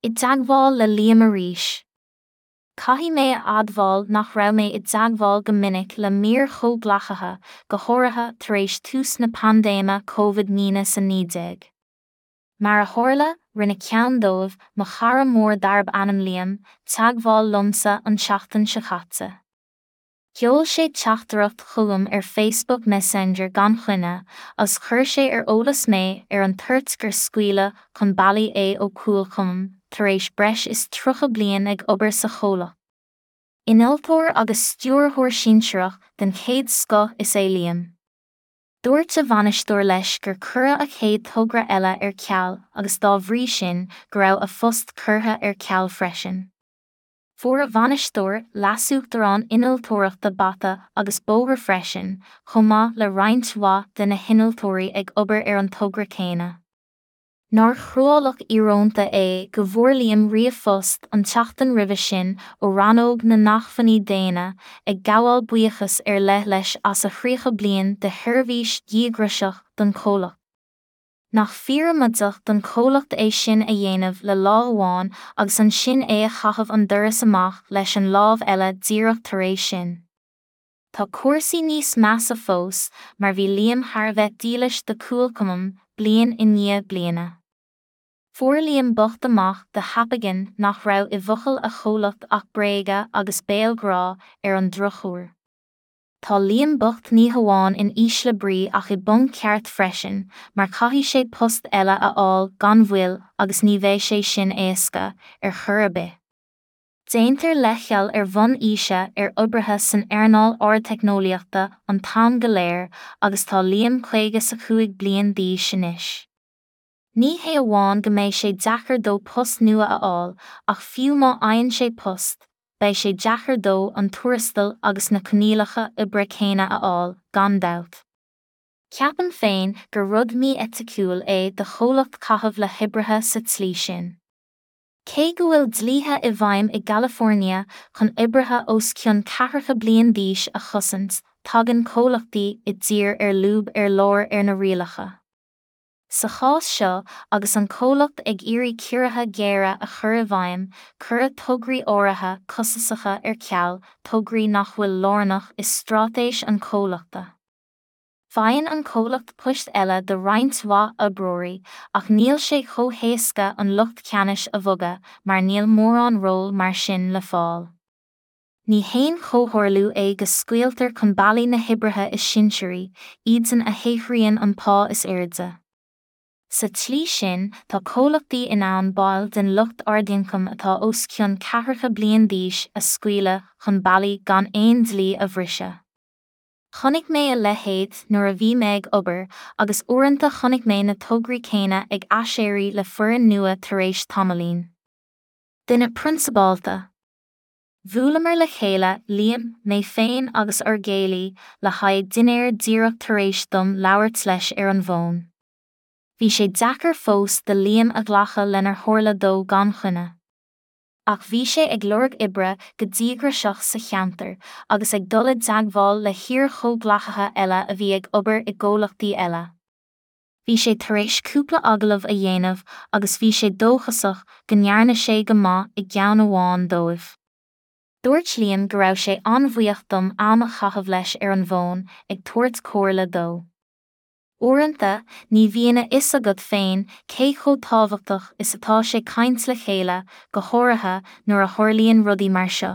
I dteagmháil le Liam arís. Caithfidh mé a admháil nach raibh mé i dteagmháil go minic le m'iar-chomhghleacaithe, go háirithe tar éis tús na paindéime Covid-19. Mar a tharla, rinne ceann dóibh, mo chara mór darb ainm Liam, teagmháil liomsa an tseachtain seo caite. Sheol sé teachtaireacht chugam ar Facebook Messenger gan choinne agus chuir sé ar eolas mé ar an toirt gur scaoileadh chun bealaigh é ó Qualcomm tar éis breis is 30 bliain ag obair sa chomhlacht. Innealtóir agus stiúrthóir sinsearach den chéad scoth is ea Liam. Dúirt a bhainisteoir leis gur cuireadh a chéad togra eile ar ceal agus dá bhrí sin go raibh a phost curtha ar ceal freisin. Fuair a bhainisteoir, leasuachtarán innealtóireachta bata agus bóthar freisin, chomh maith le roinnt mhaith de na hinnealtóirí ag obair ar an togra céanna. Nár chruálach íorónta é go bhfuair Liam ríomhphost an tseachtain roimhe sin ó rannóg na nAcmhainní Daonna ag gabháil buíochas ar leith leis as a thríocha bliain de sheirbhís dhíograiseach don chomhlacht. Nach fíoramaideach don chomhlacht é sin a dhéanamh le lámh amháin agus ansin é a chaitheamh an doras amach leis an lámh eile díreach tar éis sin. Tá cúrsaí níos measa fós mar bhí Liam thar a bheith dílis do Qualcomm bliain i ndiaidh bliana. Fuair Liam bocht amach de thapaidh nach raibh i bhfocail a chomhlacht ach bréaga agus béalghrá ar an drochuair. Tá Liam bocht ní hamháin in ísle brí ach i bponc ceart freisin, mar caithfidh sé post eile a fháil gan mhoill agus ní bheidh sé sin éasca, ar chor ar bith. Déantar leithcheal ar bhonn aoise ar oibrithe san earnáil ardteicneolaíochta an t-am go léir agus tá Liam 55 bliain d'aois anois. Ní hé amháin go mbeidh sé deacair dó post nua a fháil ach fiú má fhaigheann sé post, beidh sé deacair dó an tuarastal agus na coinníollacha oibre céanna a fháil, gan dabht. Ceapaim féin gur rud mí-eiticiúil é do chomhlacht caitheamh le hoibrithe sa tslí sin. Cé go bhfuil dlíthe i bhfeidhm i gCalifornia chun oibrithe os cionn ceathracha bliain d'aois a chosaint, tagann comhlachtaí i dtír ar lúb ar lár ar na rialacha. Sa chás seo, agus an comhlacht ag iarraidh ciorruithe géara a chur i bhfeidhm, cuireadh tograí áirithe costasacha ar ceal, tograí nach bhfuil lárnach i straitéis an chomhlachta. Faigheann an comhlacht poist eile do roinnt mhaith oibreoirí, ach níl sé chomh héasca an lucht ceannais a bhogadh mar níl mórán ról mar sin le fáil. Ní haon chomhtharlú é go scaoiltear chun bealaigh na hoibrithe is sinsearaí, iadsan a shaothraíonn an pá is airde. Sa tslí sin, tá comhlachtaí in ann baill den lucht ardioncaim atá os cionn ceathracha bliain d'aois a scaoileadh chun bealaigh gan aon dlí a bhriseadh. Chonaic mé a leithéid nuair a bhí mé ag obair agus uaireanta chonaic mé na tograí céanna ag aiséirí le foireann nua tar éis tamaillín. Duine prionsabálta. Bhuaileamar le chéile, Liam, mé féin agus ár gcéilí, le haghaidh dinnéir díreach tar éis dom labhairt leis ar an bhfón. Bhí sé deacair fós do Liam a ghlacadh lenar tharla dó gan choinne. Ach bhí sé ag lorg oibre go díograiseach sa cheantar agus ag dul i dteagmháil le hiar-chomhghleacaithe eile a bhí ag obair i gcomhlachtaí eile. Bhí sé tar éis cúpla agallamh a dhéanamh agus bhí sé dóchasach go ndearna sé go maith i gceann amháin dóibh. Dúirt Liam go raibh sé an-bhuíoch dom am a chaitheamh leis ar an bhfón ag tabhairt comhairle dó. Uaireanta, ní bhíonn a fhios agat féin cé chomh tábhachtach is atá sé caint le chéile, go háirithe nuair a tharlaíonn rudaí mar seo.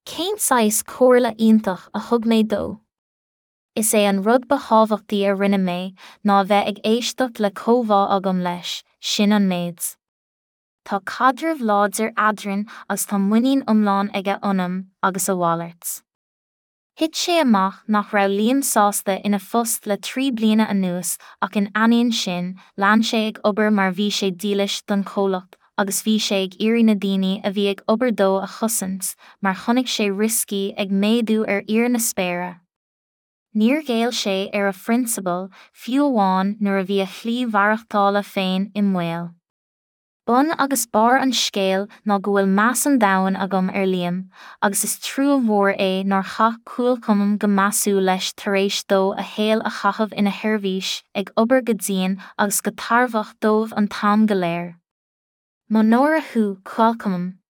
Cén saghas comhairle iontach a thug mé dó? Is é an rud ba thábhachtaí a rinne mé ná a bheith ag éisteacht le comhbhá agam leis, sin an méid. Tá caidreamh láidir eadrainn agus tá muinín iomlán aige ionam agus a mhalairt. Thit sé amach nach raibh Liam sásta ina phost le 3 bliana anuas ach in ainneoin sin, lean sé ag obair mar bhí sé dílis don chomhlacht agus bhí sé ag iarraidh na daoine a bhí ag obair dó a chosaint mar chonaic sé rioscaí ag méadú ar íor na spéire. Níor ghéill sé ar a phrionsabail, fiú amháin nuair a bhí a shlí mhaireachtála féin i mbaol. Bun agus barr an scéil ná go bhfuil meas an domhain agam ar Liam, agus is trua mhór é nár chaith Qualcomm go measúil leis tar éis dó a shaol a chaitheamh ina sheirbhís, ag obair go dian agus go tairbheach dóibh an t-am go léir. Mo náire thú, Qualcomm.